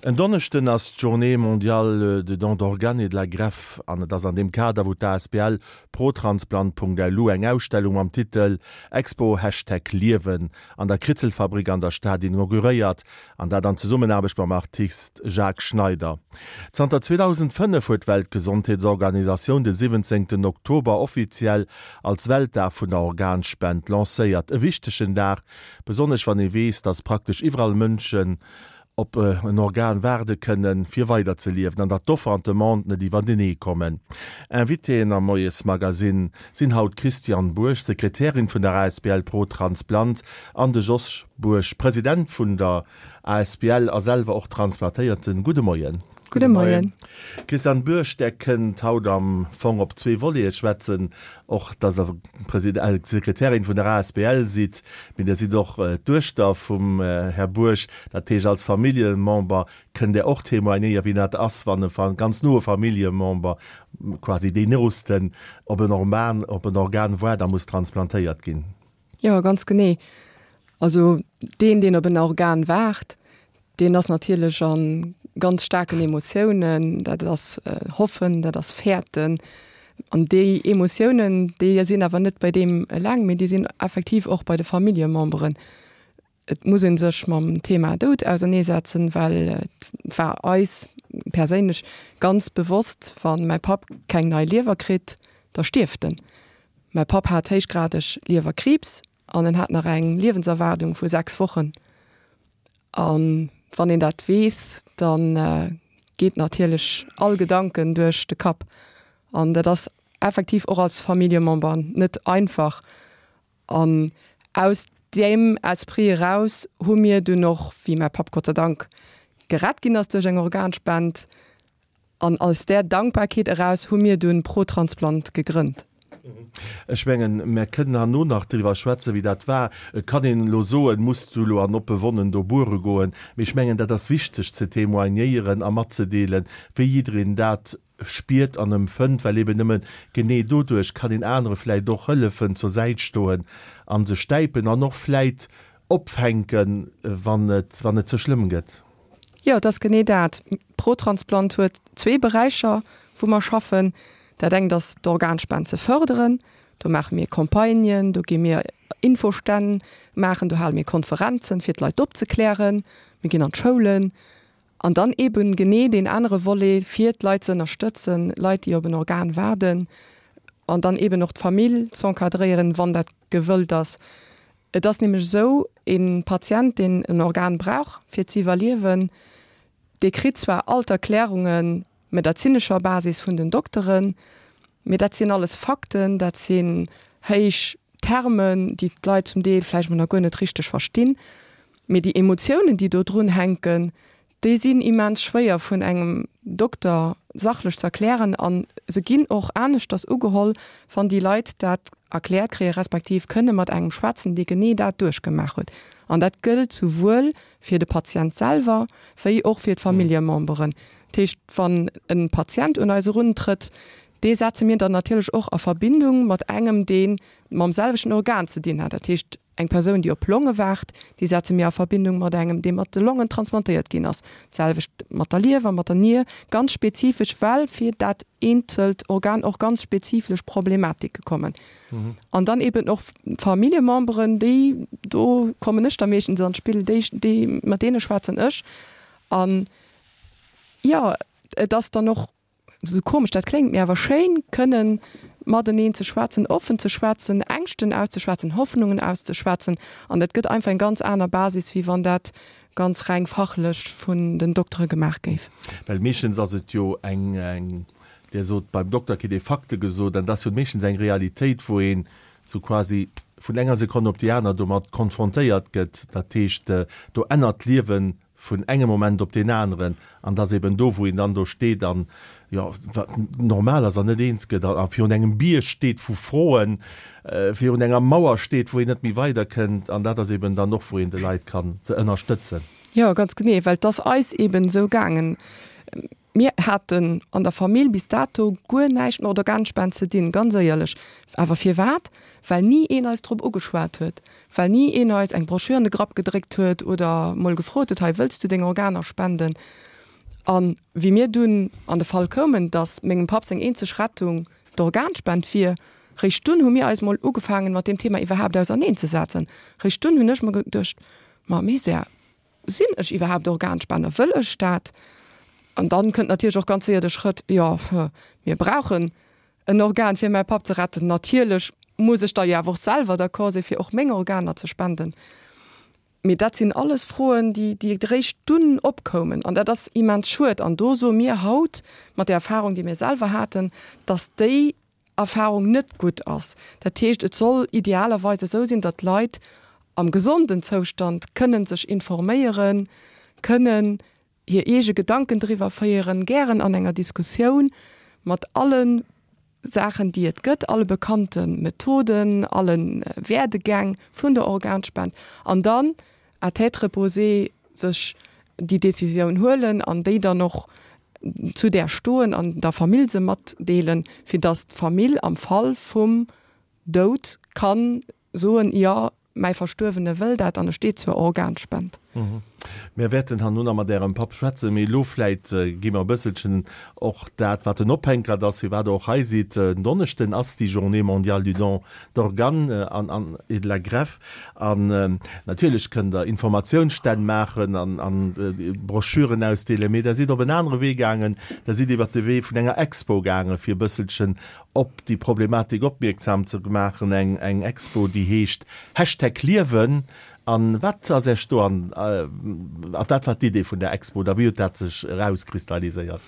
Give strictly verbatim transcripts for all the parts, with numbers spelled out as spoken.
En Donneschden ass d'Journée mondiale de don d'organes et de la greffe an et ass an deem Kader, wou d'A S B L protransplant Punkt L U eng Ausstellung mam Titel Expo Hashtag Liewen an der Kritzelfabrik an der Stad inauguréiert, an dat an Zesummenaarbecht mam Artist Jacques Schneider. Zanter zweedausendfënnef huet d'Weltgesondheetsorganisatioun de siwwenzéngten Oktober offiziell als Weltdag vun der Organspend lancéiert. E wichtegen Dag, besonnesch wann ee weess, datt praktesch iwwerall Mënschen op en Organ waarde kënnen, fir weider ze liewen, an datt d'Offer an d'Demande net iwwertenee kommen. Invitéen am Moiesmagazin sinn haut d'Christiane Bourg, Sekretärin vun der A S B L ProTransplant, an de Jos Bourg, President vun der A S B L a selwer och Transplantéierten. Gudde Moien. Gudde Moien. Christiane Bourg, Där kënnt haut am Fong op zwee Volete schwätzen, och datt Der President, Sekretärin vun der A S B L sidd, mee Dir sidd och d'Duechter vum Här Bourg, dat heescht als Familljemember kënnt Der och témoignéieren, wéi dat ass, wann e ganz noe Familljemember, quasi deen Noosten, op en Organ, op en Organ waart a muss transplantéiert ginn. Jo, ganz genee. Also deen, deen op en Organ waart, deen ass natierlech a ganz staarken Emotiounen, dat ass Hoffen, dat ass Fäerten. An déi Emotiounen, déi sinn awer net bei deem eleng, mee déi sinn effektiv och bei de Familljememberen. Et muss ee sech mam Thema Doud auserneesetzen, well et war eis perséinlech ganz bewosst, wa mäi Papp keng nei Liewer kritt, da stierft en. Mäi Papp hat héichgradeg Liewerkriibs an en hat nach eng Liewenserwaardung vu sechs Wochen. An wann een dat weess, dann geet natierlech all Gedanken duerch de Kapp. An dat ass effektiv och als Familljemember net einfach. An aus deem Esprit eraus hu mir dunn och, wéi mäi Papp Gott sei Dank gerett ginn ass duerch eng Organspend, an aus där Dankbarkeet eraus hu mir dunn ProTransplant gegrënnt. Ech mengen, mär kënnen herno nach driwwer schwätzen, wéi dat war. Et kann een elo soen, muss du elo an oppe Wonnen do buere goen? Mee ech mengen, dat ass wichteg ze témoignéieren a matzedeelen, wéi jiddereen dat spiert an empfënnt, well eben nëmme genee doduerch kann een anere vläicht och hëllefen, zur Säit stoen a se stäipen an och vläicht opfänken, wann et, wann et ze schlëmm gëtt. Jo, et ass genee dat. ProTransplant huet zwee Beräicher, wou mer schaffen. Dat engt ass d'Organspend ze fërderen. Do maache mir Campagnen, do gi mir Infostänn maachen, do hale mir Konferenzen, fir d'Leit opzeklären. Mir ginn an d'Schoulen. An dann eben genee deen anere Volet, fir d'Leit ze ënnerstëtzen, Leit, déi op en Organ waarden, an dann eben och d'Famill z'encadréieren, wann dat gewëllt ass. Et ass nämlech esou, e Patient, deen en Organ brauch, fir ze iwwerliewen, dee kritt zwar all d'Erklärunge medezinescher Basis vun den Dokteren, mee dat sinn alles Fakten, dat sinn héich Termen, déi d'Leit zum Deel vläicht mol nach guer net richteg verstinn, mee déi Emotiounen, déi do drun hänken, déi sinn immens schwéier vun engem Dokter sachlech ze erklären a se ginn och aneschters ugeholl, wann déi Leit dat erkläert kréie respektiv kënne mat engem schwätzen, dee genee dat duerchgemaach huet. An dat gëllt souwuel fir de Patient selwer wéi och fir d'Familljememberen. Dat heescht, wann e Patient un eis eruntrëtt, dee setze mir dann natierlech och a Verbindung mat engem, dee mam selwechten Organ ze dinn hat. Dat heescht, eng Persoun, déi op Longe waart, déi setze mir a Verbindung mat engem, dee mat de Longen transplantéiert ginn ass. D'selwecht mat der Liewer, mat der Nier, ganz spezifesch, well fir dat eenzelt Organ och ganz spezifesch Problematike kommen. An dann eben och Familljememberen, déi, do kommen ech da meeschtens an d'Spill, déi, déi, mat deene schwätzen ech. An jo, et ass dann och, esou komesch dat kléngt, mee awer schéin, kënnen mateneen ze schwätzen, offen ze schwätzen, Ängschten auszeschwätzen, Hoffnungen auszeschwätzen. An dat gëtt einfach eng ganz aner Basis, wéi wann dat ganz reng fachlech vun den Doktere gemaach géif. Well meeschtens ass et jo eng, eng, Dir sot, beim Dokter kritt ee Fakte gesot, an dat ass jo meeschtens eng Realitéit, wou een sou quasi vun enger Sekonn op déi aner domat konfrontéiert gëtt. Dat heescht, do ännert d'Liewen vun engem Moment op deen aneren, an dat ass eben do, wou een dann do steet an, jo, wat normal ass, an net eens gëtt a virun engem Bierg steet vu Froen, virun enger Mauer steet, wou een net méi weiderkënnt. An dat ass eben dann och, wou een de Leit kann ze ënnerstëtzen. Jo, ganz genee, well et ass eis eben esou gaangen. Mir haten an der Famill bis dato guer näischt mat Organspend ze dinn, ganz éierlech. Awer firwat? Well ni een eis drop ugeschwat huet, well ni een eis eng Broschür an de Grapp gedréckt huet oder mol gefrot huet, hei wëlls du deng Organer spenden? An wéi mir dunn an de Fall koumen, dass mengem Papp seng eenzeg Rettung d'Organspend wier, réischt dunn hu mir eis mol ugefaangen, mat deem Thema iwwerhaapt auserneenzesetzen. Réischt dunn hunn ech mer geduecht, Ma Misär, sinn ech iwwerhaapt Organspenner? Wëll ech dat? An dann kënnt natierlech och ganz séier de Schrëtt, Jo, mir brauchen en Organ, fir mäi Papp ze retten. Natierlech muss ech da jo awer och selwer d'accord sinn, fir och meng Organer ze spenden. Mee dat sinn alles Froen, déi, déi eréischt dunn opkoumen. An dat ass immens schued. An do soe mir haut, mat där Erfahrung, déi mir selwer haten, dass déi Erfahrung net gutt ass. Dat heescht, et soll idealerweis esou sinn, datt d'Leit am gesonden Zoustand kënnen sech informéieren, kënnen hir eege Gedanken driwwer féieren, gären an enger Diskussioun mat alle Saachen, déi et gëtt, alle bekannte Methoden, alle Werdegäng vun der Organspend, an dann à tête reposée sech déi Décisioun huelen an déi dann och zu där stoen an der Famill se matdeelen, fir dass d'Famill am Fall vum Doud kann soen, jo, mäi Verstuerwene wëll dat an e steet zur Organspend. Mir wäerten herno nach mat Ärem Papp schwätzen, mee elo vläit gi mer e bësselchen och dat, wat den Ophänkert ass, firwat Der och hei sidd. En Donneschden ass déi Journée mondiale du don d'organes an et de la greffe. An natierlech kënnt Der Informatiounsstänn maachen an Broschüren ausdeelen, mee Der sidd op en anere Wee gaangen, Der sidd iwwert de Wee vun enger Expo gaangen, fir e bësselchen op déi Problematik opmierksam ze maachen, eng eng Expo, déi heescht Hashtag Liewen. An wat ass Iech do an, a wat war d'Idee vun der Expo oder wéi huet dat sech erauskristalliséiert?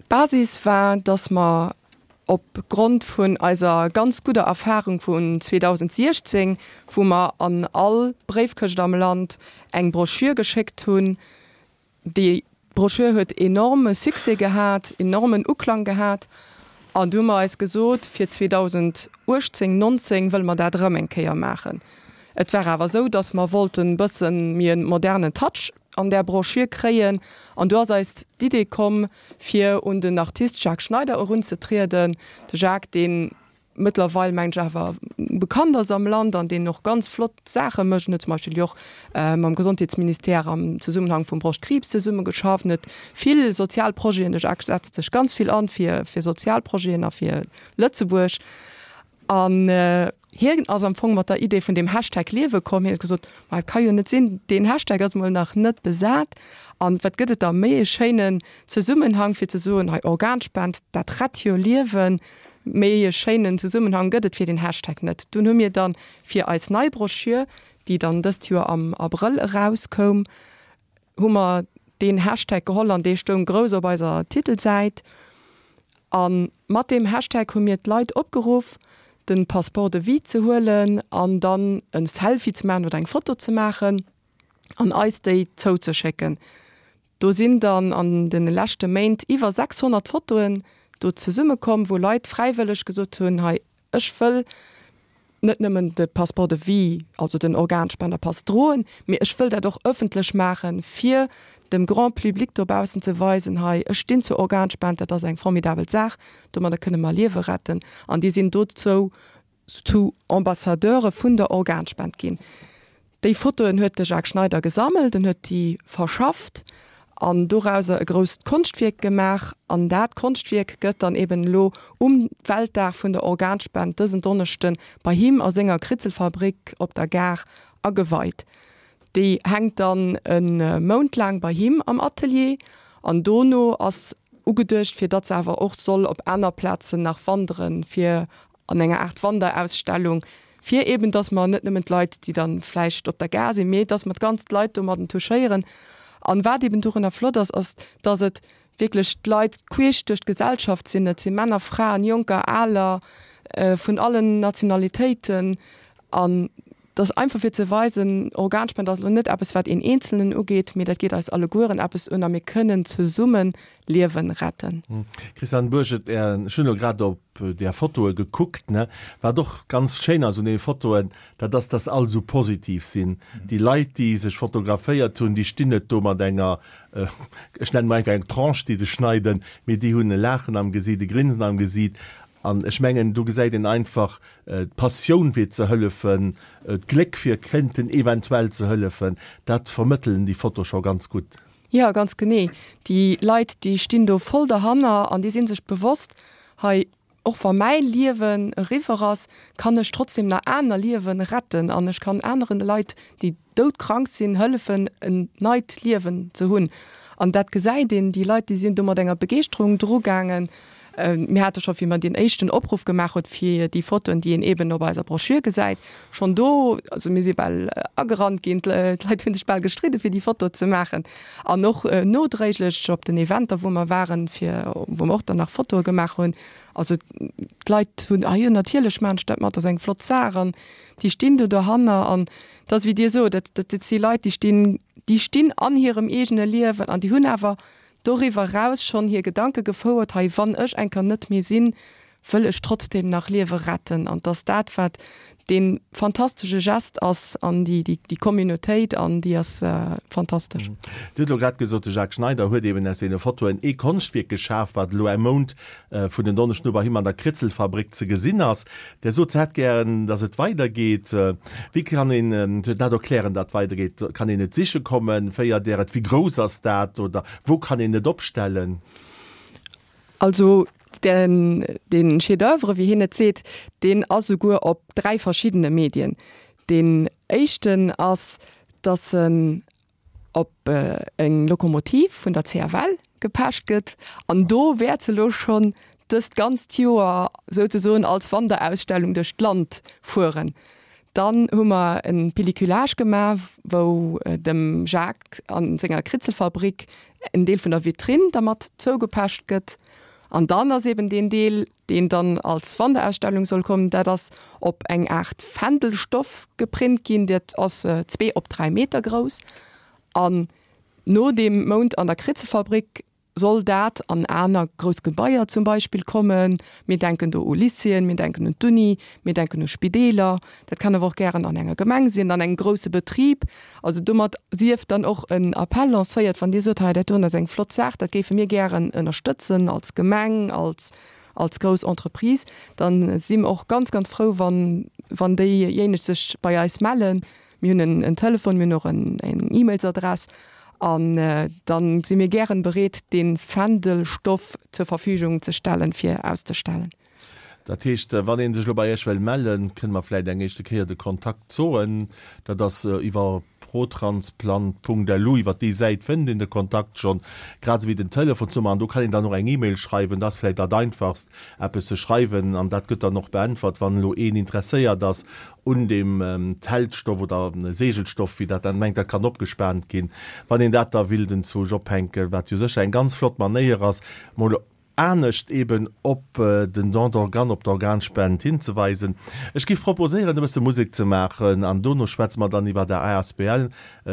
D'Basis war, dass mer op Grond vun eiser ganz gudder Erfahrung vun zweedausendsiechzéng, wou mer an all Bréifkëscht am Land eng Broschür geschéckt hunn, Déi Broschür huet enorme Succès gehat, enormen Uklang gehat. An du hu mer eis gesot, fir zweedausendachtzéng, nonzéng wëlle mer dat erëm eng Kéier maachen. Et war awer esou, datt mer wollten e bësse méi e modernen Touch an där Broschür kréien. An du ass eis d'Idee komm, fir un den Artist Jacques Schneider erunzetrieden. De Jacques, deen mëttlerweil, mengen ech, awer bekannt ass am Land an deen och ganz flott Saache mécht. En huet zum Beispill jo och mam Gesondheetsministère am Zesummenhang vum Broschtkriibs zesummegeschafft. En huet vill sozial Projeten, de Jacques setzt sech ganz vill an fir fir sozial Projeten a fir Lëtzebuerg. An hien ass am Fong mat der Idee vun deem Hashtag Liewe komm. Hien huet gesot, Ma et ka jo net sinn, deen Hashtag ass mol nach net besat. An wat gëtt et da méi e schéinen Zesummenhang fir ze soen, hei Organspend, dat rett jo Liewen. Méi e schéinen Zesummenhang gëtt et fir den Hashtag net. Dunn hu mir dann fir eis nei Broschür, déi dann dëst Joer am Abrëll erauskoum, hu mer deen Hashtag geholl an dee stoung grouss op eiser Titelsäit. A mat deem Hashtag hu mir d'Leit opgeruff, de Passeport de vie ze huelen an dann e Selfie ze maachen oder eng Foto ze maachen an eis déi zouzeschécken. Do sinn dann an de leschte Méint iwwer sechshonnert Fotoen do zesummekomm, wou Leit fräiwëlleg gesot hunn, hei ech wëll net nëmmen de Passeport de vie, also den Organspenderpass droen, mee ech wëll dat och ëffentlech maachen, fir dem Grand public dobaussen ze weisen, hei ech stinn zur Organspend, dat ass eng formidabel Saach, domadder kënne mer Liewe retten. An déi sinn dozou zu Ambassadeure vun der Organspend ginn. Déi Fotoen huet de Jacques Schneider gesammelt, en huet déi verschafft an dorauser e grousst Konschtwierk gemaach. An dat Konschtwierk gëtt dann eben elo um Weltdag vun der Organspend dësen Donneschde bei him a senger Kritzelfabrik op der Gare ageweit. Déi hänkt dann e Mount laang bei him am Atelier an dono ass ugeduecht, fir datt se awer och soll op aner Plazen nach wanderen, fir an enger Aart Wanderausstellung, fir eben, datt mer net nëmmen d'Leit, déi dann vläicht op der Gare sinn, mee datt mer d'ganz d'Leit domadden touchéieren. An wat eben dorunner flott ass, ass, datt et wierklech d'Leit queesch duerch d'Gesellschaft sinn. Et si Männer, Fraen, Jonker, Aler, vun allen Nationalitéiten. An et ass einfach fir ze weisen, Organspend ass elo net eppes, wat een Eenzelnen ugeet, mee dat geet eis allegueren eppes un a mir kënnen zesumme Liewen retten. Christiane Bourget, Ech hunn elo grad op där Fotoe gekuckt, ne. Wat och ganz schéin ass un deene Fotoen, dat ass, dass all esou positiv sinn. Déi Leit, déi sech fotograféiert hunn, déi stinn net do mat enger, ech nennen emol einfach eng Tranche, déi se schneiden, mee déi hunn e Laachen am Gesiit, e Grinsen am Gesiit. An ech mengen, do gesäit een einfach d'Passioun fir ze hëllefen, d'Gléck fir kéinten eventuell ze hëllefen. Dat vermëttelen déi Fotoe scho ganz gutt. Jo, ganz genee. Déi Leit, déi stinn do voll derhanner an déi si sech bewosst, hei, och wa mäi Liewen eriwwer ass, kann ech trotzdem nach aner Liewen retten an ech kann aneren Leit, déi doudkrank sinn, hëllefen, en neit Liewen ze hunn. An dat gesäit een, déi Leit, déi sinn do mat enger Begeeschterung drugaangen. Mir hate scho, wéi mer deen éischten Opruff gemaach huet fir déi Fotoen, déi een eeben op eiser Broschür gesäit, schonn do, also mir si bal agerannt ginn, d'Leit hu sech bal gestridde fir déi Foto ze maachen. An och nodréiglech op den Eventer, wou mer waren, fir, wou mer och dann nach Fotoe gemaach hunn. Also d'Leit hunn, ah jo, natierlech maachen ech dat mat, dat ass eng flott Saach. An déi stinn do dohanner an et ass wéi Dir sot, dat, dat si Leit, déi stinn, déi stinn an hirem eegene Liewen an déi hunn awer doriwwer eraus schonn hir Gedanke gefouert, hei wann ech eng Kéier net méi sinn, wëll ech trotzdem nach Liewe retten. An 't ass dat, wat dee fantastesche Gest ass an déi, déi Communautéit an déi ass fantastesch. Dir hutt elo grad gesot, de Jacques Schneider huet eben aus deene Fotoen ee Konschtwierk geschaf, wat elo e Mount vun en Donneschden u bei him an der Kritzelfabrik ze gesinn ass. Der sot, se hätt gären, datt et weidergeet. Wéi kann een dat erklären, datt et weidergeet? Kann een et siche kommen? Féiert Der et? Wéi grouss ass dat? Oder wou kann een et opstellen? Also den, den Chef-d'oeuvre, wéi hien et seet, deen ass souguer op dräi verschiddene Medien. Deen éischten ass, datt en op eng Lokomotiv vun der C F L gepecht gëtt an do wäert se elo schonn dëst ganzt Joer souzesoen als Wanderausstellung duerch d'Land fueren. Dann hu mer e Pelliculage gemaach, wou dem Jacques a senger Kritzelfabrik en Deel vun der Vitrinn dermat zougepecht gëtt. An dann ass eben deen Deel, deen dann als Wanderausstellung soll kommen, dat ass op eng Aart Fändelstoff geprint ginn, dat ass zwee op dräi Meter grouss. An no deem Mount an der Kritzelfabrik soll dat an aner grouss Gebaier zum Beispill kommen. Mir denken do u Lycéeën, mir denken un d'Uni, mir denken u Spideeler. Dat kann awer och gären an enger Gemeng sinn, an engem grousse Betrib. Also domat sief dann och en Appell lancéiert, wann Dir sot, hei dat doen ass eng flott Saach, dat géife mir gären ënnerstëtzen als Gemeng, als als grouss Entreprise, dann si mer och ganz, ganz frou, wann wann déijéineg sech bei eis mellen. Mir hunn en Telefon, mir hunn och eng E-Mailsadress an dann si mir gären bereet, dee Fändelstoff zur Verfügung ze stellen, fir auszestellen. Dat heescht, wann ee sech elo bei Iech wëll mellen, kënne mer vläicht eng éischte Kéier de Kontakt soen. Dat ass iwwer protransplant punkt lu, iwwer déi Säit fënnt een de Kontakt schonn, grad esou wéi den Telefonsnummer. An do kann een dann och eng E-Mail schreiwen. Dat ass vläicht dat Einfachst, eppes ze schreiwen an dat gëtt dann och beäntwert, wann elo een interesséiert ass un deem Teltstoff oder Segelstoff, wéi dat dann mengt, dat kann opgespaant ginn, wann een dat da willt enzwousch ophänken, wat jo sécher eng ganz flott Manéier ass, mol anescht eben op den Don d'organes, op d'Organspend hinzeweisen. Ech giff proposéieren, e bësse Musek ze maachen an dono schwätze mer dann iwwer der A S B L.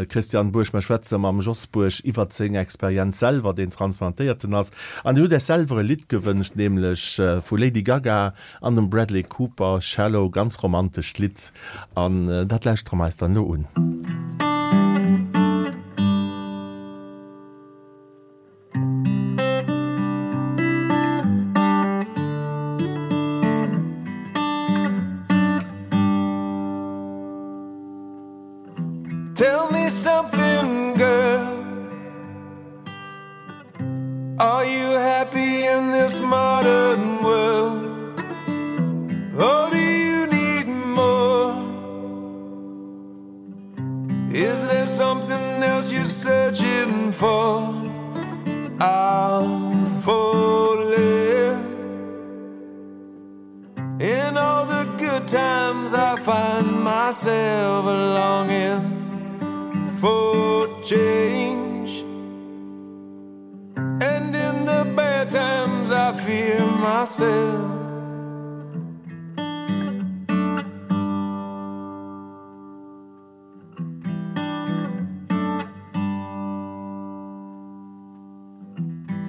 Christian Bourg, mer schwätze mam Jos Bourg iwwert seng Experienz selwer, deen Transplantéierten ass. An Dir hutt Iech selwer e Lidd gewënscht, nämlech vu Lady Gaga an dem Bradley Cooper, Shallow, ganz romantescht Lidd an dat lauschtere mer eis dann elo un. Tell me something, girl. Are you happy in this modern world? Or do you need more? Is there something else you're searching for? I'm falling. In all the good times I find myself longing for change. And in the bad times I fear myself.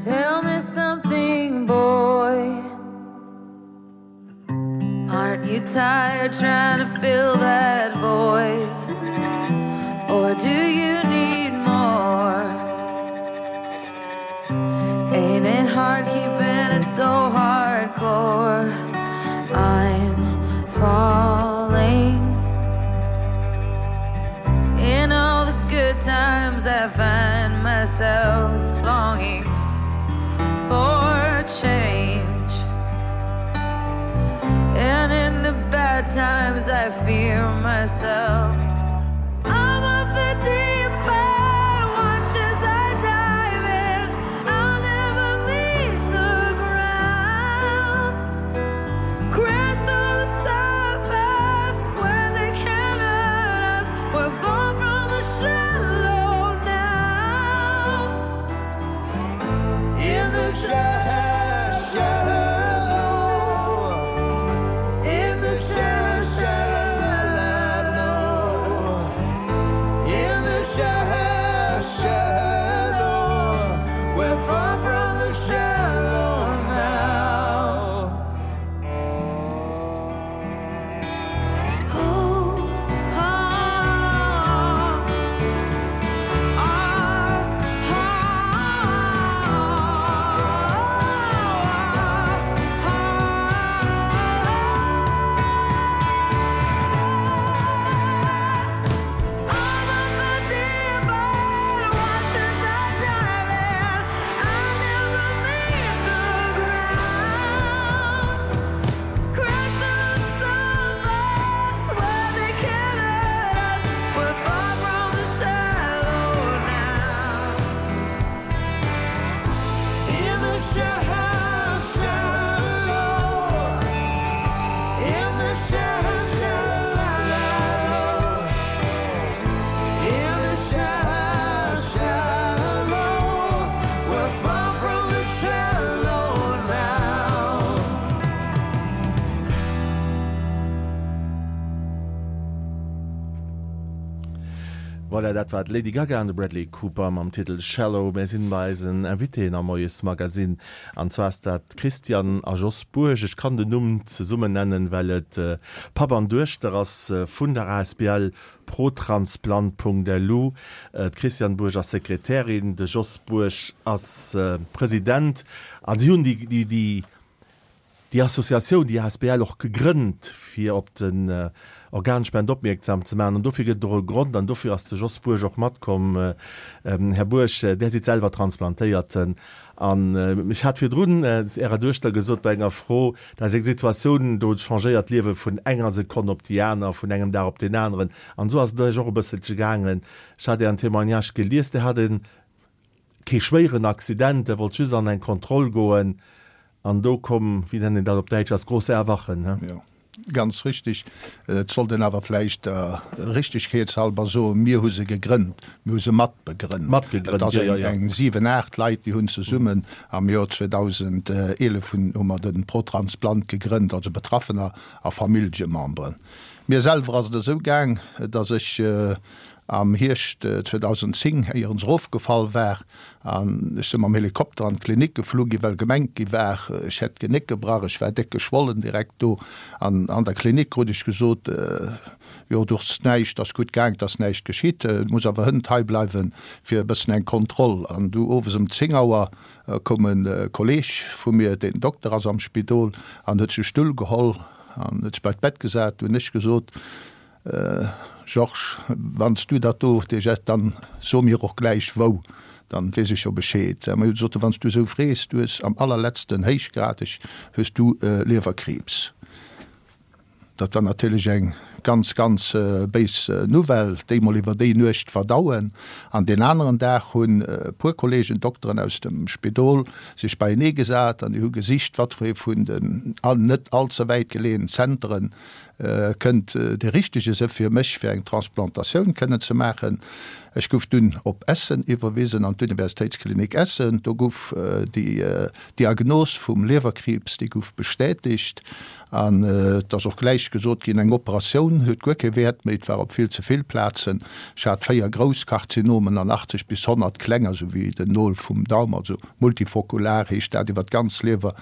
Tell me something, boy. Aren't you tired trying to fill that void? Or do you need more? Ain't it hard keeping it so hardcore? I'm falling. In all the good good times I find myself longing for change. And in the bad times I fear myself. I'm of the deep end, watch as I dive in. I'll never meet the ground. Crash through the surface where they can't hurt us. We're far from the shallow now. In the shallow, in the shallow, in the shallow, we're far from the shallow now. Oh, ah, ah, I'm of the deep end, watch as I dive in. I'll never meet the ground. Crash through the surface where they can't hurt us. We're far from the shallow now. In the shallow, in the shallow, in the shallow, we're far from the shallow now. Voilà, dat war d'Lady Gaga an de Bradley Cooper mam Titel Shallow. Mir sinn bei eisen Invitéen am Moiesmagazin. An zwar ass dat d'Christiane a Jos Bourg. Ech kann den Numm zesummen nennen, well et äh, Papp an Duechter ass äh, vun der A S B L protransplant Punkt L U. Äh, d'Christiane Bourg ass Sekretärin, de Jos Bourg ass äh, President. An si hunn déi, déi, déi déi Associatioun, déi A S B L och gegrënnt, fir op den äh, Organspend opmierksam ze maachen. An dofir gëtt et och e Grond, an dofir ass de Jos Bourg och matkomm. Äh, ähm, Här Bourg, äh, Dir sidd selwer Transplantéierten. An äh, ech hat virdrun äh, Ärer Duechter gesot bei enger Fro, dat ass eng Situatioun, do changéiert d'Liewe vun enger Sekonn op déi aner, vun engem Dag op den aneren. An sou ass et Iech och e bësselche gaangen. Ech hat Ären Témoignage gelies, Dir hat kee schwéieren Accident, Dir wollt just an eng Kontroll goen. An do koum, wéi nennt een dat op Däitsch, das große Erwachen. Ne? Ja, ganz richtig. Et sollt een awer vläicht der Richtegkeetshalber soen, mir hu se gegrënnt, mir hu se matbegrënnt. Matgegrënnt, Et ass ja, ja, eng, ja. eng siwen, aacht Leit, déi hunn zesummen am Joer zweedausendeelef hunn, hu mer den ProTransplant gegrënnt, also Betraffener a Familljememberen. Mir selwer ass et esou gaang, dass ech äh, am Hierscht äh, zweedausendzéng éierens erofgefall war an ech si mam Helikopter an d'Klinik geflu gi, well gemengt gi war, ech hätt d'Genéck gebrach, ech war déck geschwollen direkt do. An an der Klinik krut ech gesot, äh, jo, du hues näischt, ass gutt gaang, ass näischt geschitt, äh, du muss awer hënt hei bleiwen fir e bëssen eng Kontroll. An du owes um zéng Auer äh, koum en äh, Kolleeg vu mir, deen Dokter ass am Spidol, an huet sech Stull geholl an huet sech bei d'Bett gesat, hunn ech gesot, äh, Georges, wann s du dat do dir hues, dann so mir och gläich wou, dann weess ech jo Bescheed. Mir sot, wann s du sou frees, du hues am allerletzten héichgradeg hues du äh, Liewerkriibs. Dat war natierlech eng ganz ganz äh, béis äh, Nouvelle, déi mol iwwer déi Nuecht verdauen. An den aneren Dag hunn äh, puer Kollegen Dokteren aus dem Spidol sech beienee gesat an déi hu gesicht, wat fir ee vun den all, net allze wäit geleeënen Zentren äh, kënnt äh, de richtege si fir mech fir eng Transplantatioun kënnen ze maachen. Ech gouf dunn op Essen iwwerwisen an d'Universitéitsklinik Essen. Do gouf äh, déi äh, Diagnos vum Liewerkriibs, déi gouf bestätegt. An äh, et ass och gläich gesot ginn, eng Operatioun huet guer kee Wäert méi, et war op vill ze vill Plazen. Ech hat véier grouss Karzinomen an achtzeg bis honnert klenger, sou wéi den Nol vum Daum, also multifokular heescht dat, iwwer d'ganz Liewer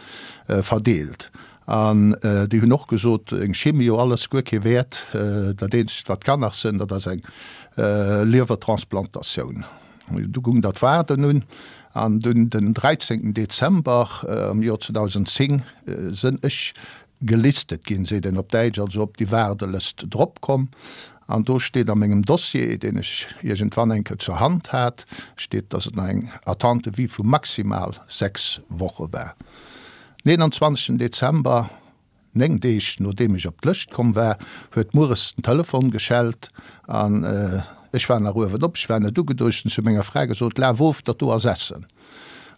äh, verdeelt. An äh, déi hunn och gesot, eng Chimio, alles guer kee Wäert, äh, dat eenzegt wat kann nach sinn, dat ass eng äh, Liewertransplantatioun. Du goung dat Waarden un, an dunn den dräizéngten Dezember äh, am Joer zweedausendzéng äh, sinn ech gelistet ginn, seet een op Däitsch, also op déi Waardelëscht drop komm. An do steet a mengem Dossier, deen ech iergendwann eng Kéier zur Hand hat, steet, dass et nach eng Attente de vie vu maximal sechs Woche war. Den eenanzwanzegsten Dezember, néng Deeg nodeem ech op d'Lëscht komm war, huet mueres den Telefon geschellt an ech war nach uewen op, ech war net ugeduecht, hunn zu menger Fra gesot, Laf of, dat do ass Essen.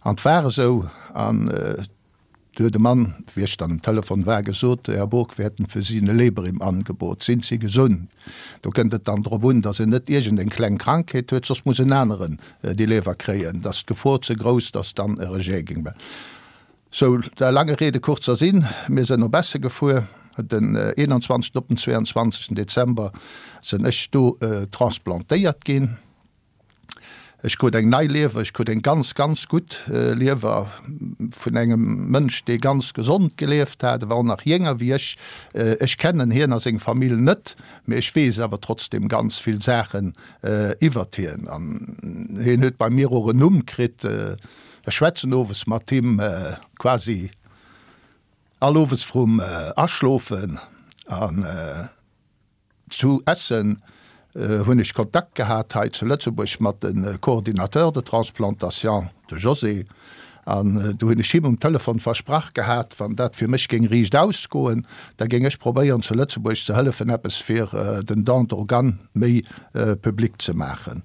An 't war esou. An du huet e Mann, wéi ech dann um Telefon war, gesot, Herr Bourg, wir hätten für Sie eine Leber im Angebot, sind Sie gesund? Do kënnt et dann drop un, dass en net iergendeng kleng Krankheet huet, soss muss en aneren déi Leber kréien, et ass d'Gefor ze grouss, dass dann e Rejet géing. Sou, der lange Rede kurzer Sinn, mir sënn op Essen gefuer, den eenanzwanzegsten op den zweeanzwanzegsten Dezember sënn ech do transplantéiert ginn. Ech krut eng nei Liewer, ech krut eng ganz, ganz gutt Liewer vun engem Mënsch, dee ganz gesond gelieft hat, e war och nach jénger wéi ech. Ech kennen hien a seng Famill net, mee ech weess awer trotzdem ganz vill Saachen iwwert hien. An hien huet bei mir och en Numm kritt. Ech schwätzen owes mat him, quasi all owes vrum Aschlofen. An zu Essen hunn ech Kontakt gehat hei zu Lëtzebuerg mat de Coordinateur de transplantation, de José. An do hunn ech him um Telefon versprach gehat, wann dat fir mech géing riicht ausgoen, da géing ech probéieren zu Lëtzebuerg ze hëllefen eppes fir den Don d'organes méi public ze maachen.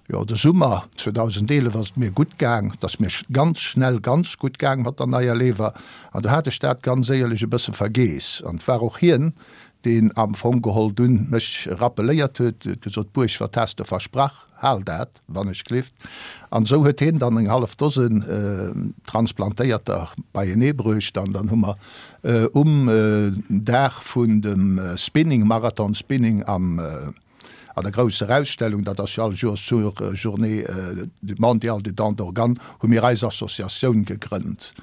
Jo, de Summer zweedausendeelef ass et mir gutt gaang. Et ass mir ganz schnell ganz gutt gaang mat der neier Lever. An do hat ech dat ganz éierlech e bësse vergeess. An et war och hien, deen am Fong geholl dunn mech rappeléiert huet, huet gesot, Buerg, wat has de versprach, hal dat, wann ech glift. An esou huet hien dann eng hallef Dosen Transplantéierter beienee bruecht an dann hu mer um Dag vun dem Spinning, Marathon Spinning am, an der grousser Ausstellung, dat ass jo all Joers zur Journée mondiale du don d'organes, hu mir eis Associatioun gegrënnt.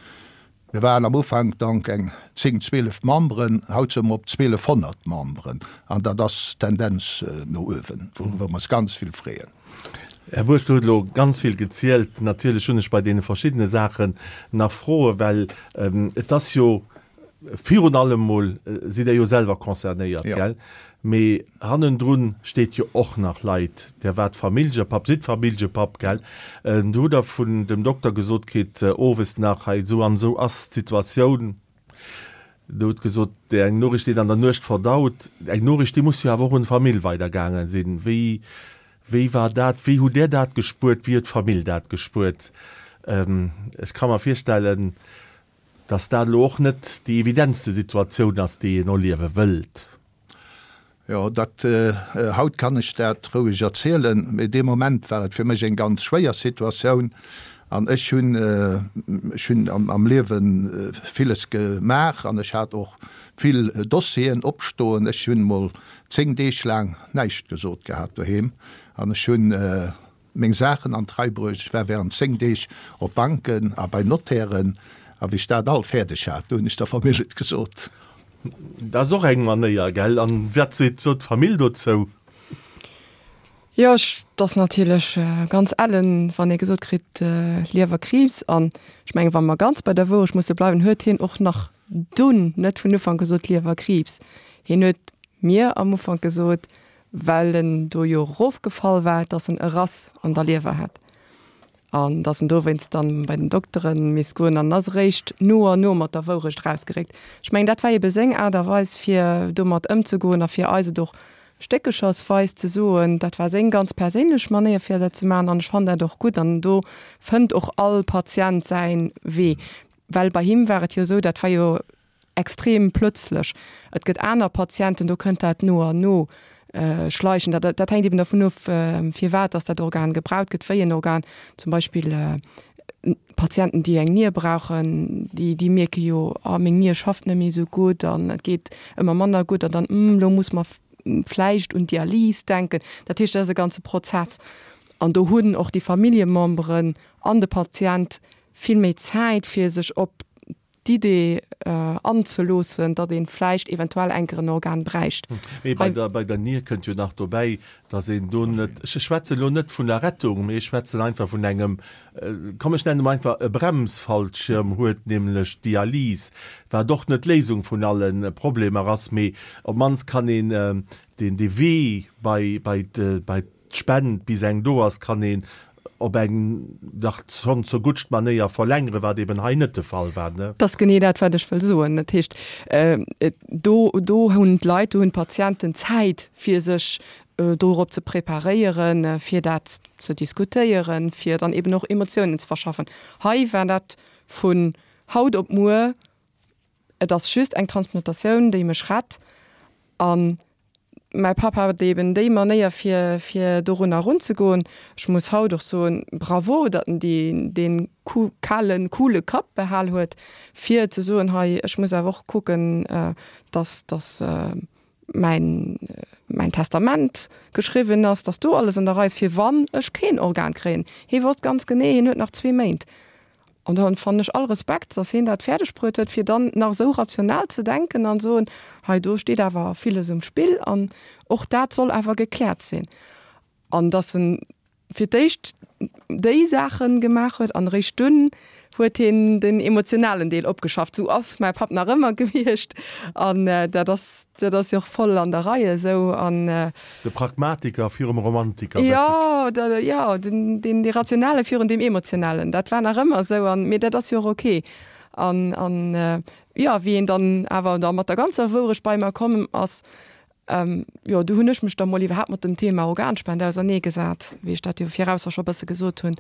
Mir waren am Ufank donc eng zéng, zwielef Memberen, haut si mer op zwielefhonnert Memberen an dat ass Tendenz no uewen, wouiwwer mer eis ganz vill freeën. Här Buerg, Dir hutt elo ganz vill gezielt. Natierlech hunn ech bei deene verschiddene Saachen nach Froen, well et ass jo virun allem mol, sidd Der jo selwer concernéiert, gell? Mee hannendrun steet jo och nach Leit. Der waart Familljepapp, sidd Familljepapp, gell? Du hutt Der vun dem Dokter gesot kritt, owes nach, hei esou an esou ass d'Situatioun. Der hutt gesot, eng Noriicht, déi een an der Nuecht verdaut, eng Noriicht, déi muss jo awer och un d'Famill weidergaange sinn. Wéi, wéi war dat? Wéi hutt Der dat gespuert? Wéi huet d'Famill dat gespuert? Ech ka mer virstellen, dass dat elo och net déi evidentste Situatioun ass, déi een erliewe wëllt. Jo, dat, haut kann ech dat roueg erzielen, mee dee Moment war et fir mech eng ganz schwéier Situatioun. An ech hunn, ech hunn am Liewe villes gemaach an ech hat och vill Dossieren opstoen. Ech hunn emol zéng Deeg laang näischt gesot gehat doheem an ech hunn, meng Saachen an d'Rei bruecht. Ech war während zéng Deeg op Banken a bei Notairen, a wéi ech dat all fäerdeg hat, do hunn ech der Famill et gesot. Dat ass och eng Manéier, gell? An wat seet sot d'Famill dozou? Jo, ech, 't ass natierlech ganz ellen, wann ee gesot kritt, Liewerkriibs. An ech mengen, wa mer ganz bei der Wourecht musse bleiwen, huet hien och nach dunn net vun Ufank gesot, Liewerkriibs. Hien huet mir am Ufank gesot, well en do jo erofgefall war, dass en e Rass an der Liewer hätt an dass en dowéinst dann bei den Doktere misst goen an ass eréischt no an no mat der Wourecht erausgeréckt. Ech mengen, dat war ebe seng Aart a Weis, fir domat ëmzegoen a fir eis et och stéckechersweis ze soen. Dat war seng ganz perséinlech Manéier, fir dat ze maachen an ech fannen dat och gutt an do fënnt och all Patient säi Wee, well bei him war et jo esou, dat war jo extrem plötzlech. Et gëtt aner Patienten, do kënnt dat no an no schleichend. Dat, dat hänkt eben dervun of, firwat dass dat Organ gebraucht gëtt, wéi en Organ. Zum Beispill Patienten, déi eng Nier brauchen, déi, déi mierke jo, ah meng Nier schafft net méi esou gutt an et geet ëmmer manner gutt an dann, hm, elo muss mer vläicht un Dialys denken. Dat heescht, dat ass e ganze Prozess. An do hunn och déi Familljememberen an de Patient vill méi Zäit, fir sech op d'Idee anzeloossen, datt ee vläicht eventuell enker en Organ bräicht. Mee bei der, bei der Nier kënnt jo nach dobäi, datt een do net, ech schwätzen elo net vun der Rettung, mee ech schwätzen einfach vun engem, komm ech nennen emol einfach e Bremsfallschirm huet, nämlech d'Dialys, wat och net d'Léisung vun alle Problemer ass, mee op d'mannst kann een deen dee Wee bei, bei bei d'Spend, bis eng do ass, kann een op eng dach schonn zur guttst Manéier verlängeren, wat eben hei net de Fall war, ne? Dat ass genee dat, wat ech wëll soen. Dat heescht, do, do hunn d'Leit, do hunn d'Patienten Zäit, fir sech dorop ze preparéieren, fir dat ze diskutéieren, fir dann eben och Emotiounen ze verschaffen. Hei war dat vun haut op muer, et ass just eng Transplantatioun, déi mech rett. An mäi Papp hat eben déi Manéier fir, fir dorunner erunzegoen. Ech muss haut och soen, Bravo, datt en déi, dee kalen, coole Kapp behal huet, fir ze soen, hei, ech muss awer och kucken, datt, datt mäin, mäin Testament geschriwwen ass, datt do alles an der Rei ass, fir wann ech keen Organ kréien. Hie wosst ganz genee, hien huet nach zwee Méint. An dann fannen ech all Respekt, dass hien dat fäerdeg bruet huet, fir dann nach esou rational ze denken an soen, hei do steet awer villes um Spill an och dat soll awer gekläert sinn. An dass en fir d'éischt déi Saache gemaach huet an eréischt dunn huet hien den emotionalen Deel opgeschafft. Sou ass mäi Papp nach ëmmer gewiescht an dat ass, dat ass jo och voll an der Rei esou an. De Pragmatiker virum Romantiker, Jo, da, jo, den, deen, dee Rationale virun deem Emotionalen, dat war nach ëmmer esou an, mee dat ass jo och ok. An, an, jo, wéi en dann awer da mat der ganzer Wourecht bei mer komm ass, jo, du hunn ech mech da mol iwwerhaapt mat dem Thema Organspende auserneegesat, wéi ech dat jo virausser scho bësse gesot hunn.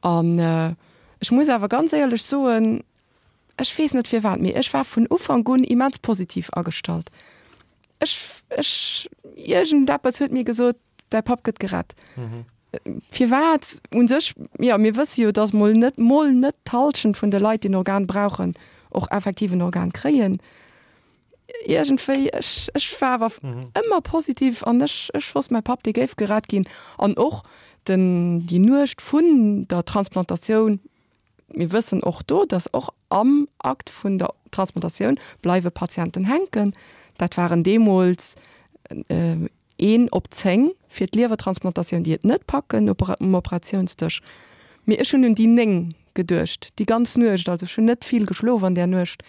An ech muss awer ganz éierlech soen, ech weess net firwat, mee ech war vun Ufank un immens positiv agestallt. Ech, ech, iergendeppes huet mir gesot, däi Papp gëtt gerett. Firwat? U sech, jo, mir wësse jo, datt mol net, mol net d'Hallschent vun de Leit, déi en Organ brauchen, och effektiv en Organ kréien. Iergendwéi, ech, ech war awer ëmmer positiv an ech, ech wosst, mäi Papp, dee géif gerett ginn. An och den, déi Nuecht vun der Transplantatioun, mir wëssen och do, dass och am Akt vun der Transplantatioun bleiwe Patienten hänken. Dat waren deemools een op zéng fir d'Liewertransplantatioun, déi et net packen um Operatiounsdësch. Mee ech hunn un déi néng geduecht, déi ganz Nuecht. Also ech hunn net vill geschlof an där Nuecht,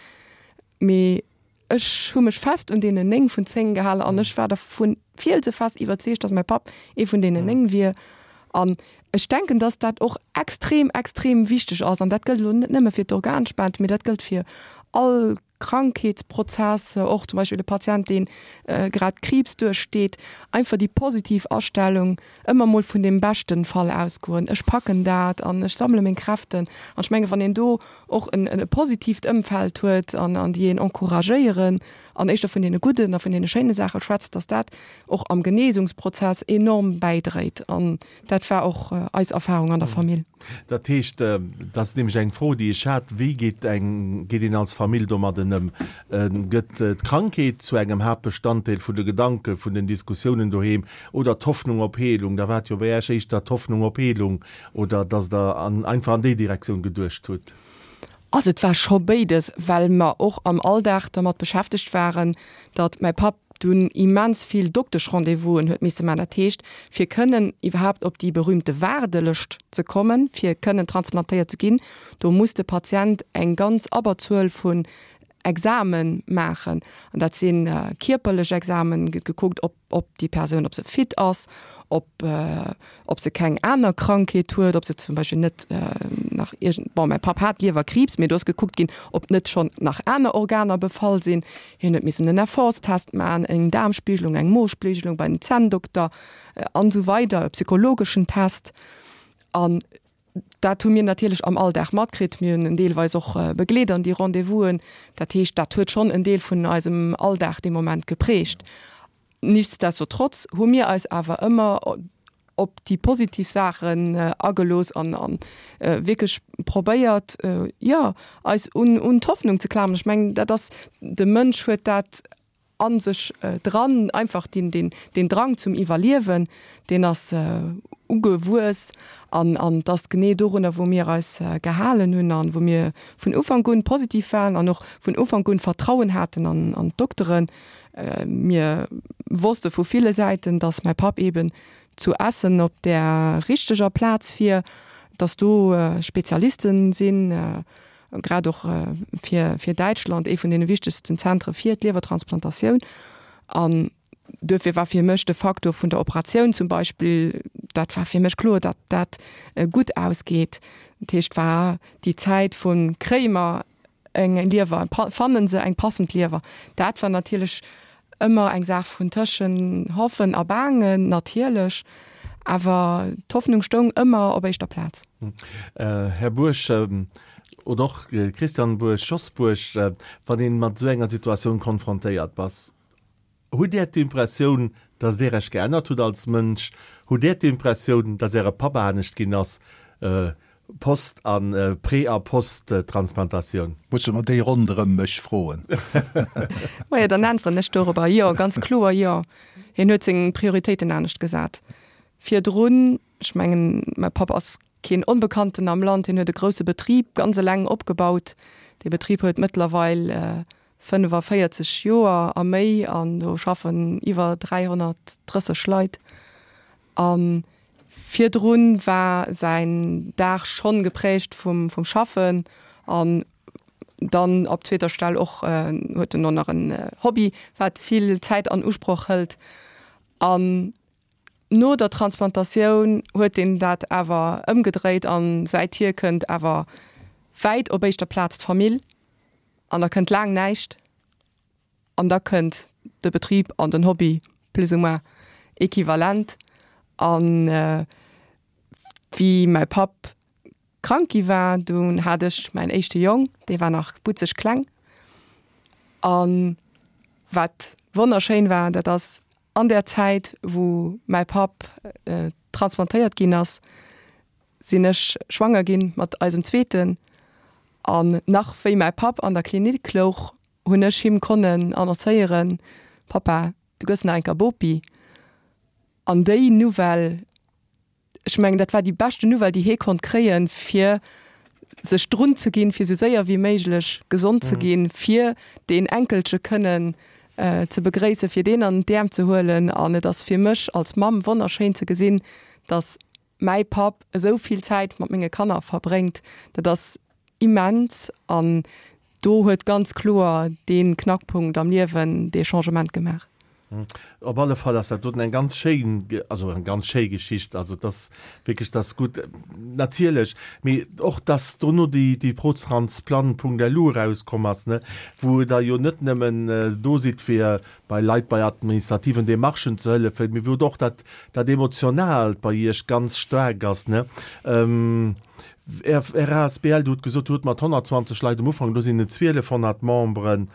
mee ech hu mech fest un deenen néng vun zéng gehalen an ech war dervu fielsefest iwwerzeegt, dass mäi Papp ee vun deenen néng wier. An ech denken, dass dat och extrem, extrem wichteg ass, an dat gëllt elo net nëmme fir d'Organspend, mee dat gëllt fir all Krankheetsprozess, och zum Beispill e Patient, dee grad Kriibs duerchsteet, einfach déi positiv Astellung, ëmmer mol vun deem beschten Fall ausgoen, ech packen dat an ech sammele meng Kräften. An ech mengen, wann een do och en e positiivt Ëmfeld huet an an déi een encouragéieren an éischter vun deene gudden a vun deene schéine Saache schwätzt, dass dat och am Genesungsprozess enorm bäidréit. An dat war och eis Erfahrung an der Famill. Dat heescht, dat ass nämlech eng Fro, déi ech hat, Wéi geet eng, geet een als Famill domadden ëm? Gëtt d'Krankheet zu engem Haaptbestanddeel vun de Gedanken, vun den Diskussiounen doheem oder d'Hoffnung op Heelung? Da war et jo bei Iech éischter d'Hoffnung op Heelung oder dass Der an, einfach an déi Direktioun geduecht hutt? Also et war scho béides, well mer och am Alldag dermat beschäftegt waren, datt mäi Papp dunn immens vill Dokteschrendez-vousen huet misse man. Dat heescht, fir kënnen iwwerhaapt op déi berühmte Waardelëscht ze kommen, fir kënnen transplantéiert ze ginn, do muss de Patient eng ganz Abberzuel vun Exame maachen. An dat si kierperlech Examen, gëtt gekuckt, ob ob déi Persoun, ob se fit ass, ob ob se keng aner Krankheet huet, ob se zum Beispill net nach iergend, bon, mäi Papp hat Liewerkriibs, mee do ass gekuckt ginn, ob net schonn nach aner Organer befall sinn. Hien huet missen en Effortstest maachen, eng Daarmspiegelung, eng Mospiegelung bei den Zänndokter an esou weider, e psychologeschen Test. An dat hu mir natierlech am Alldag matkritt. Mir hunn en deelweis och begleet an déi Rendez-vousen. Dat heescht, dat huet schonn en Deel vun eisem Alldag dee Moment geprägt. Nichtsdestotrotz hu mir eis awer ëmmer op déi positiv Saachen agelooss an an wierklech probéiert, jo, eis un un d'Hoffnung ze klammern. Ech mengen, dat ass, de Mënsch huet dat a sech dran, einfach deen deen deen Drang zum Iwwerliewen, deen ass ugewuess an an et ass genee dorunner wou mir eis gehalen hunn an wou mir vun Ufank un positiv waren an och vun Ufank un Vertrauen haten an an d'Dokteren. Mir wosste vu ville Säiten, dass mäi Papp eben zu Essen op där richteger Plaz wier, dass do Spezialisten sinn, grad och fir fir Däitschland ee vun deene wichtegsten Zentre fir d'Liewertransplantatioun. An duerfir war fir mech de Faktor vun der Operatioun zum Beispill, dat war fir mech kloer, datt dat gutt ausgeet. Dat heescht, war déi Zäit vu kréie mer eng Liewer, fannen se eng passend Liewer, dat war natierlech ëmmer eng Saach vun tëschen Hoffen a Baangen natierlech, awer d'Hoffnung stoung ëmmer op éischter Plaz. Här Buerg, oder och Christian Buerg, Jos Buerg, wann ee mat esou enger Situatioun konfrontéiert bass, hutt Där d'Impressioun, datt Dir Iech geännert hutt als Mënsch? Hutt Där d'Impressioun, datt Äre Papp anescht ginn ass, post a pré a post-Transplantatioun? Musse mer déi ronderëm mech froen? Majo, dann äntweren ech dorobber, Jo, ganz kloer jo. Hien huet seng Prioritéiten anescht gesat. Virdrun, ech mengen, mäi Papp ass keen Onbekannten am Land, hien huet e grousse Betrib ganz eleng opgebaut. Dee Betrib huet mëttlerweil fënnefaféierzeg Joer a méi an do schaffen iwwer dräihonnertdrësseg Leit. A virdrun war säin Dag schonn geprägt vum vum Schaffen an dann op zweeter Stell och huet en och nach en Hobby, wat vill Zäit an Usproch hëlt. An no der Transplantatioun huet en dat awer ëmgedréit an säithier kënnt awer wäit op éischter Plaz d'Famill. An da kënnt laang näischt an da kënnt de Betrib an den Hobby plus ou moins equivalent. An wéi mäi Papp krank gi war, dunn hat ech mäin éischte Jong, dee war nach butzeg kleng. A wat wonnerschéin war, dat ass an där Zäit, wou mäi Papp transplantéiert ginn ass, sinn ech schwanger ginn mat eisem Zweeten. An nach wéi mäi Papp an der Klinik louch, hunn ech him konnen annoncéieren, Pappa, du gëss nach eng Kéier Bopi. An déi Nouvelle, ech mengen, dat war déi beschten Nouvelle, déi hie konnt kréien, fir sech drun ze ginn, fir esou séier wéi méiglech gesond ze ginn, fir deen Enkelche kënnen ze begréissen, fir deen an d'Äerm ze huelen. An et ass fir mech als Mamm wonnerschéin ze gesinn, datt mäi Papp esou vill Zäit mat menge Kanner verbréngt. Dat ass immens an do huet ganz kloer dee Knackpunkt am Liewen dee Changement gemaach. Op alle Fall ass dat doten eng ganz schéin, also eng ganz schéi Geschicht. Also et ass wierklech, dat ass gutt, natierlech, mee och dass dono déi, déi Protransplant.lu erauskomm ass, ne, wou Der jo net nëmmen do sidd fir bei Leit bei administrativen Demarchen ze hëllefen, mee wou och dat, dat Emotionaalt bei Iech ganz staark ass, ne. Är asbl, Dir hutt gesot, Dir hutt mat honnertzwanzeg Leit um Ufank, elo sinn et zwielefhonnert Memberen.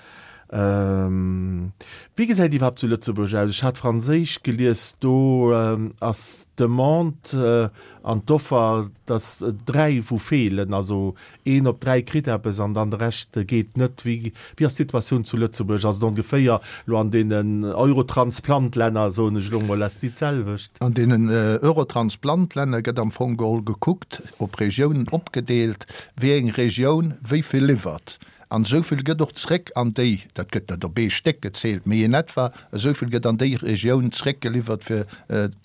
Wéi gesäit iwwerhaapt zu Lëtzebuerg aus? Ech hat franséisch gelies, do ass d'Demande an d'Offer, dass dräi wou feelen, also een op dräi kritt eppes an dann de Rescht geet net. Wéi ass d'Situatioun zu Lëtzebuerg? Ass et ongeféier elo an deenen Eurotransplant-Länner, soen ech elo mol, ass déi d'selwecht? An deenen Eurotransplant-Länner gëtt am Fong geholl gekuckt, op Regiounen opgedeelt, wéi eng Regioun wéi vill liwwert. An esou vill gëtt och zréck an déi, dat gëtt net op ee Stéck gezielt, mee in etwa esou vill gëtt an déi Regioun zréckgeliwwert, fir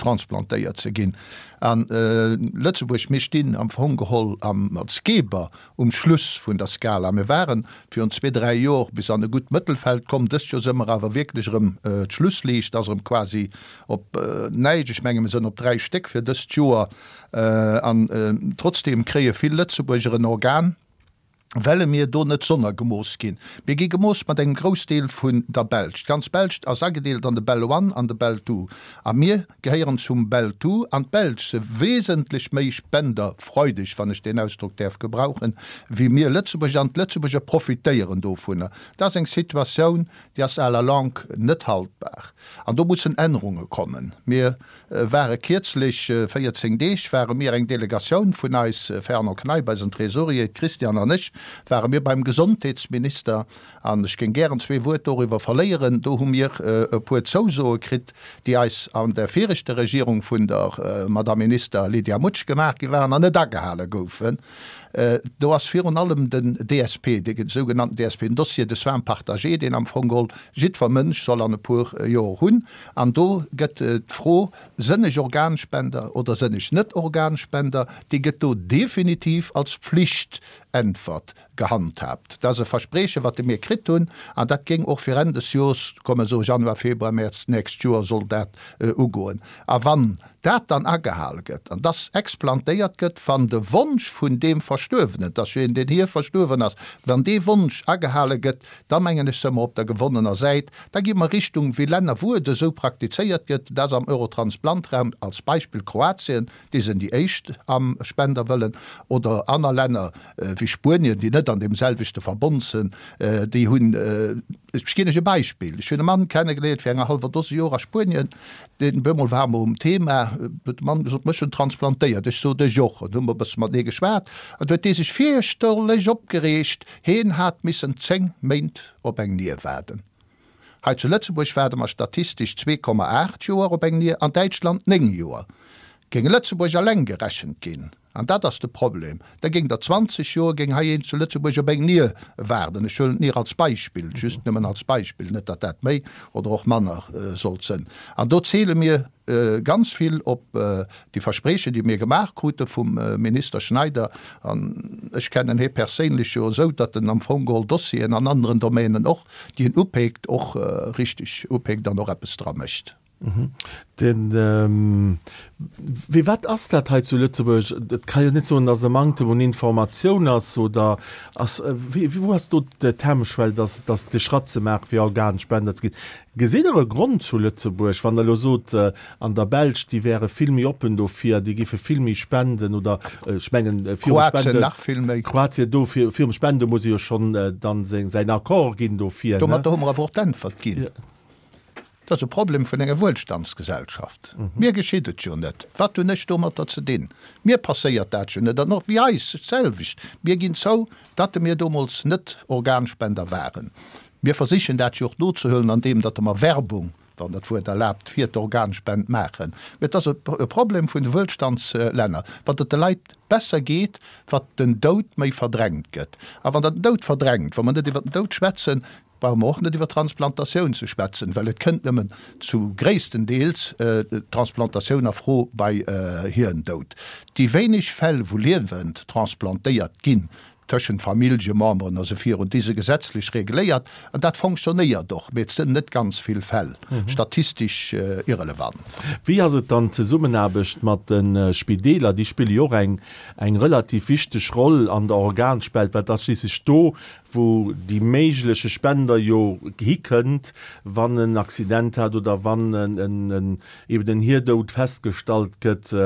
transplantéiert ze ginn. A Lëtzebuerg, mir stinn am Fong geholl am, als Geber um Schluss vun der Skala. Mir ware virun zwee, dräi Jor bis an e gutt Mëttelfeld komm. Dëst Joer si mer awer wierklech erëm, d'Schlussliicht ass erëm quasi op näischt. Ech menge mir sinn op dräi Stéck fir dëst Joer. An trotzdeem kréie vill Lëtzebuerger en Organ. Welle mir do net sonnergemooss ginn. Mir gi gemooss mat engem Groussdeel vun der Belsch. D'ganz Belsch ass agedeelt an de Bel One an de Bel Two. A mir gehéieren zum Bel Two. An d'Belsch se wesentlech méi spenderfreudeg, wann ech deen Ausdrock däerf gebrauchen, wéi mir Lëtzebuerger. An d'Lëtzebuerger profitéieren dovunner. Dat ass eng Situatioun, déi ass à la longue net haltbar. An do mussen Ännerunge kommen. Mir ware kierzlech, véierzéng Deeg, ware mir eng Delegatioun vun eis, Fernand Kneip, eisen Trésorier, d'Christiane an ech, ware mir beim Gesondheetsminister. An ech géing gären zwee Wuert doriwwer verléieren. Do hu mir e puer Zousoe kritt, déi eis an der viregter Regierung vun der Madame Minister Lydia Mutsch gemaach gi waren an net agehale goufen. Do ass virun allem den D S P, dee sougenannten D S P, den Dossier de soins partagés, deen am Fong geholl jiddwer Mënsch soll an e puer Joer hunn. An do gëtt d'Fro, sënn ech Organspender oder sënn ech net Organspender, déi gëtt do definitiv als Pflichtäntwert gehandhabt. Dat ass e Versprechen, wat mir kritt hunn, an dat géing och fir Enn des Joers kommen, esou Januar, Februar, Mäerz d'nächst Joer soll dat ugoen. A wann dat dann agehale gëtt an dass explantéiert gëtt, wann de Wonsch vun deem Verstuerwenen, dass jo een, deen hir verstuerwen ass, wann dee Wonsch agehale gëtt, da mengen ech, si mer op der gewonnener Säit. Da gi mer Richtung wéi Länner, wou et esou praktizéiert gëtt, dat ass am Eurotransplantraum als Beispill Kroatien, déi sinn déi éischt am Spenderwëllen, oder aner Länner wéi Spuenien, déi net an deem selwechte Verbond sinn, déi hunn, ech ginn lech e Beispill, ech hunn e Mann kennegeléiert fir enger hallwer Dose Joer a Spuenien, deen bemol war mer um Thema, huet de Mann gesot, mech hunn transplantéiert, ech sot ech och, an hu mer e bësse matenee geschwat, an du huet dee sech fierchterlech opgereegt, heen hat missen zéng Méint op eng Nier waarden. Hei zu Lëtzebuerg waarde mer statistesch zwee Komma aacht Joer op eng Nier, an Däitschland néng Joer. Géing Lëtzebuerg alleng gerechent ginn, an dat ass de Problem, da géing der zwanzeg Joer géing hei een zu Lëtzebuerg op eng Nier waarden. Ech huelen d'Nier als Beispill, just nëmmen als Beispill, net datt dat méi oder och manner sollt sënn. An do zähle mir ganz vill op déi Versprechen, déi mir gemaach krute vum Minister Schneider. An ech kennen hie perséinlech jo esou, datt en am Fong geholl Dossieren an anderen Domänen och, déi en upeekt, och richteg upeekt an och eppes dra mécht. Den, ähm, wie wat ass dat hei zu Lëtzebuerg? Dat kann jo net soen, dass e Manktem un Informatioun ass oder ass, wie, wie, wo ass do de Hemmschwell, dass, dass de Schratt ze maachen, fir Organspender ze ginn? Gesitt Der e Grond zu Lëtzebuerg, wann der lo sot, äh, an der Belsch, déi wäre vill méi oppen dofir, déi géife vill méi spenden oder, äh, ech mengen, äh, virum Kroatien Spenden nach vill méi. Kroatien do, fir, virum Spende muss e jo schon, äh, dann seng, säin Accord ginn dofir, ne? Domat hu mer awer och d'Äntwert ginn. Ja. Dat ass e Problem vun enger Wuelstandsgesellschaft. Mir geschitt et jo net. Wat hunn ech domatter ze dinn? Mir passéiert dat jo net. An och wéi eis selwecht. Mir ginn zou, datt mir domols net Organspender waren. Mir versichen dat jo och nozehuelen, an deem, datt mer Werbung, wann dat Wuert erlaabt, fir d'Organspend maachen. Mee et ass e Problem vun de Wuelstandslänner. Wat et de Leit besser geet, wat den Doud méi verdrängt gëtt. A wann der den Doud verdrängt, wa mer net iwwer den Doud schwätzen, brauche mer och net iwwer Transplantatioun ze schwätzen, well et kënnt nëmmen zu gréisstendeels Transplantatioun a Fro bei Hirndoud. Déi wéineg Fäll, wou liewend transplantéiert ginn, tëschent Familljememberen a sou virun, déi si gesetzlech regléiert, an dat fonctionnéiert och, mee et sinn net ganz vill Fäll, statistesch irrelevant. Wéi ass et dann d'Zesummenaarbecht mat de Spideeler? Déi spille jo och eng, eng relativ wichteg Roll an der Organspend, well dat schliisslech do, wou déi méigleche Spender jo hikënnt, wann en Accident hat oder wann en, en, en, eben en Hirdoud festgestallt gëtt.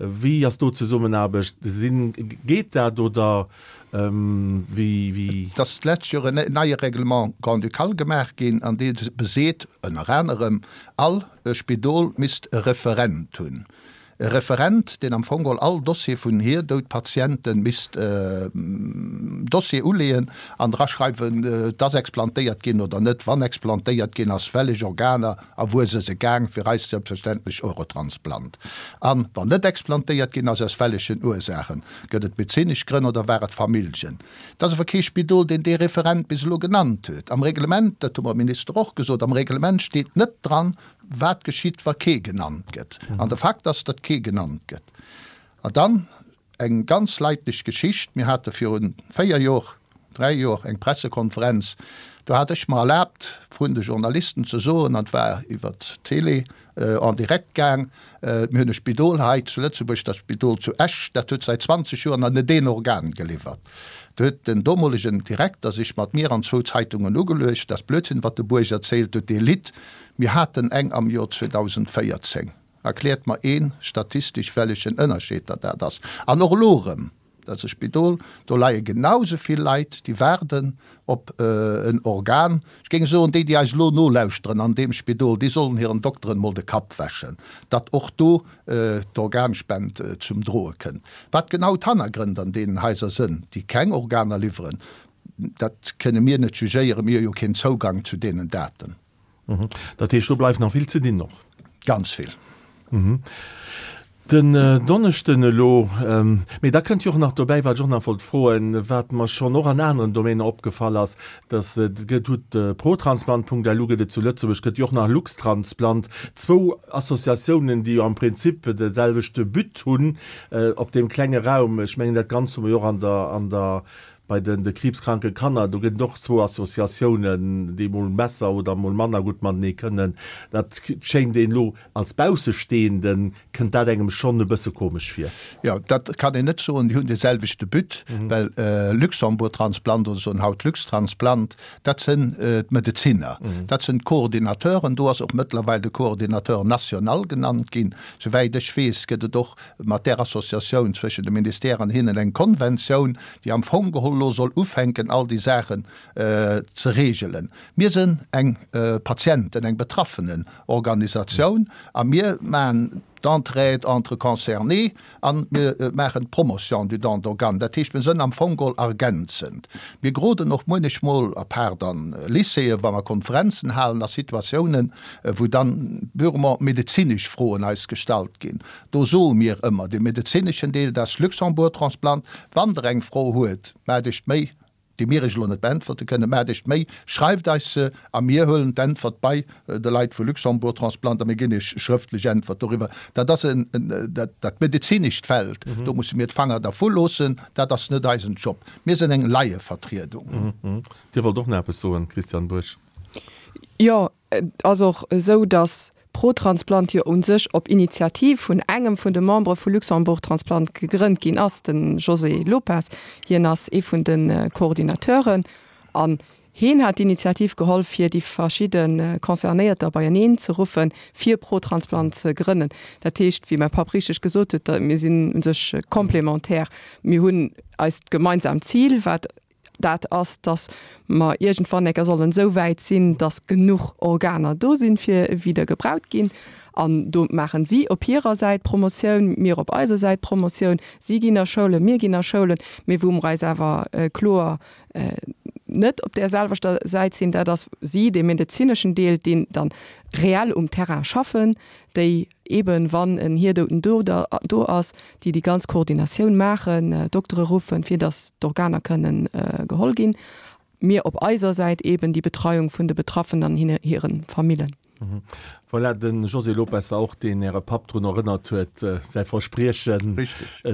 Wéi ass do d'Zesummenaarbecht? Sinn, geet dat oder, ähm, wéi, wéi? Et ass d'lescht Joer en neie Règlement grand-ducal gemaach ginn, an dee beseet ënner anerem, all Spidol misst e Referent hunn. E Referent, deen am Fong geholl all Dossier vun Hirdoudpatienten misst, äh, Dossier uleeën an draschreiwen, äh, dass explantéiert ginn oder net, wann explantéiert ginn ass, wellech Organer a wuer se se gaang, fir eis selbstverständlech Eurotransplant. An wann net explantéiert ginn ass, aus wellechen Ursaachen, gëtt et medezinesch Grënn oder war et Familljen. Dat ass awer kee Spidol, deen dee Referent bis elo genannt huet. Am Reglement, dat hu mer Minister och gesot, am Reglement steet net dran, wat geschitt, wa kee genannt gëtt. An de Fakt ass, datt kee genannt gëtt. An dann eng ganz leidlech Geschicht. Mir hate virun véier Joer, dräi Joer eng Pressekonferenz. Do hat ech mer erlaabt, vrun de Journalisten ze soen, an war iwwer d'Télé, äh, en direct gaang, äh, mir hunn e Spidol hei zu Lëtzebuerg, dat Spidol zu Esch, dat huet säit zwanzeg Joer nach net een Organ geliwwert. Do huet den domolegen Direkter sech mat mir an zwou Zeitungen ugeluecht, das Blödsinn, wat de Buerg erzielt huet, dee Lidd. Mir haten eng am Joer zweedausendvéierzéng. Erkläert mer een statistesch wellechen Ënnerscheed dat dat ass. An och elo erëm, dat ass e Spidol, do leie genau esou vill Leit, déi waarden op en Organ. Ech géing soen, déi, déi eis elo nolauschteren an deem Spidol, déi sollen hiren Dokteren emol de Kapp wäschen, datt och do d'Organspend zum Droe kënnt. Wat genau d'Hannergrënn an deenen Haiser sënn, déi keng Organer liwweren, dat kënne mir net jugéieren, mir hu jo keen Zougang zu deenen Daten. Dat heescht, do bleift nach vill ze dinn och? Ganz vill. Den Donneschden elo, mee da kënnt jo och nach dobäi, wat ech och nach wollt froen, wat mer schonn och an aneren Domainer opgefall ass, dass et gëtt, hutt Protransplant.lu gëtt et zu Lëtzebuerg, gëtt jo och nach Luxtransplant, zwou Associatiounen, déi jo am Prinzip de selwechte But hunn op deem klenge Raum. Ech mengen, dat Ganzt hu mer jo och an der, an der, bei den de kriibskranke Kanner, do gëtt et och zwou Associatiounen, déi mol besser oder mol manner gutt matenee kënnen. Dat schéint een elo als Baussestehenden, kënnt dat engem schonn e bësse komesch vir. Jo, dat kann een net soen, déi hunn dee selwechte But, well Luxembourg Transplant oder soen haut Luxtransplant, dat sënn d'Medezinner, dat sënn d'Coordinateuren. Do ass och mëttlerweil de Coordinateur national genannt ginn. Souwäit ech weess, gëtt et och mat där Associatioun zwëschen de Ministère an hinnen eng Konventioun, déi am Fong geholl elo soll ufänken, all déi Saachen ze regelen. Mir sënn eng Patienten-, eng Betraffenenorganisatioun a mir maachen d'Entraide entre concernés a mir maachen d'Promotion du don d'organes. Dat heescht, mir sënn am Fong geholl ergänzend. Mir geroden och muenechmol, à part an Lycéeën, wa mer Konferenzen halen, a Situatiounen, wou dann purement medezinesch Froen eis gestallt ginn. Do soe mir ëmmer, dee medezineschen Deel, dat ass Luxembourg Transplant. Wann Der eng Fro huet, maacht Iech d'Méi, déi mir Iech elo net beäntwerte kënnen, maacht Iech d'Méi, schreift eis se a mir huelen d'Äntwert bei de Leit vu Luxembourg Transplant a mir ginn Iech schrëftlech Äntwert doriwwer. Dat ass en, dat, dat medezinescht Feld, do musse mir d'Fanger dervu loossen, dat ass net eisen Job. Mir sinn eng Laievertriedung. Dir wollt och nach eppes soen, Christiane Burg. Jo, et ass och esou, datt ProTransplant jo u sech op Initiativ vun engem vun de Membere vu Luxembourg Transplant gegrënnt ginn ass, de José Lopes. Hien ass ee vun de Coordinateuren an hien hat d'Initiativ geholl, fir déi verschidde Concernéierter beieneen ze ruffen, fir ProTransplant ze grënnen. Dat heescht, wéi mäi Papp richteg gesot huet, mir sinn u sech complémentaire. Mir hunn eist gemeinsaamt Zil, wat dat ass, dass mer iergendwann eng Kéier sollen esou wäit sinn, dass genuch Organer do sinn, fir wieder gebraut ginn. An do maachen si op hirer Säit Promotioun, mir op eiser Säit Promotioun. Si ginn a Schoulen, mir ginn a Schoulen. Mee wou mer eis awer kloer net op där selwechter Säit sinn, dat ass si, dee medezineschen Deel, deen dann reell um Terrain schaffen, déi eeben, wann en Hierdouten do do ass, déi déi ganz Koordinatioun maachen, Doktere ruffen, fir datt d'Organer kënnen geholl ginn. Mir op eiser Säit eeben déi Betreiung vun de Betraffenen an hinne hire Famillen. Voilà, de José Lopes war och deen Äre Papp drun erënnert huet, säi Verspriechen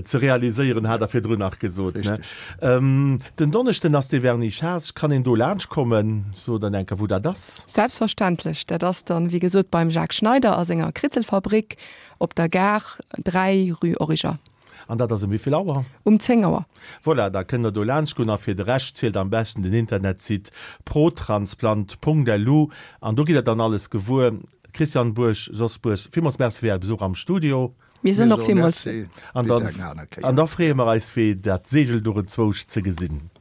ze realiséieren, hat Der virdrun nach gesot. Den Donneschden ass dee Vernissage. Kann een do laanscht kommen? Sot dann eng Kéier, wou dat ass. Selbstverständlech. Dat ass dann, wéi gesot, beim Jacques Schneider a senger Kritzelfabrik op der Gare, dräi, rue Origer. An dat ass ëm wéi vill Auer? Um zéng Auer. Voilà, da kënnt der do laanscht goen. A fir de Rescht zielt am beschten den Internetsite protransplant Punkt lu an do gitt der dann alles gewuer. Christian Burg, Jos Burg, villmools Merci fir Äre Besuch am Studio. Mir soen och villmools. An dann, an da freeë mer eis fir dat Seegelduch enzwousch ze gesinn.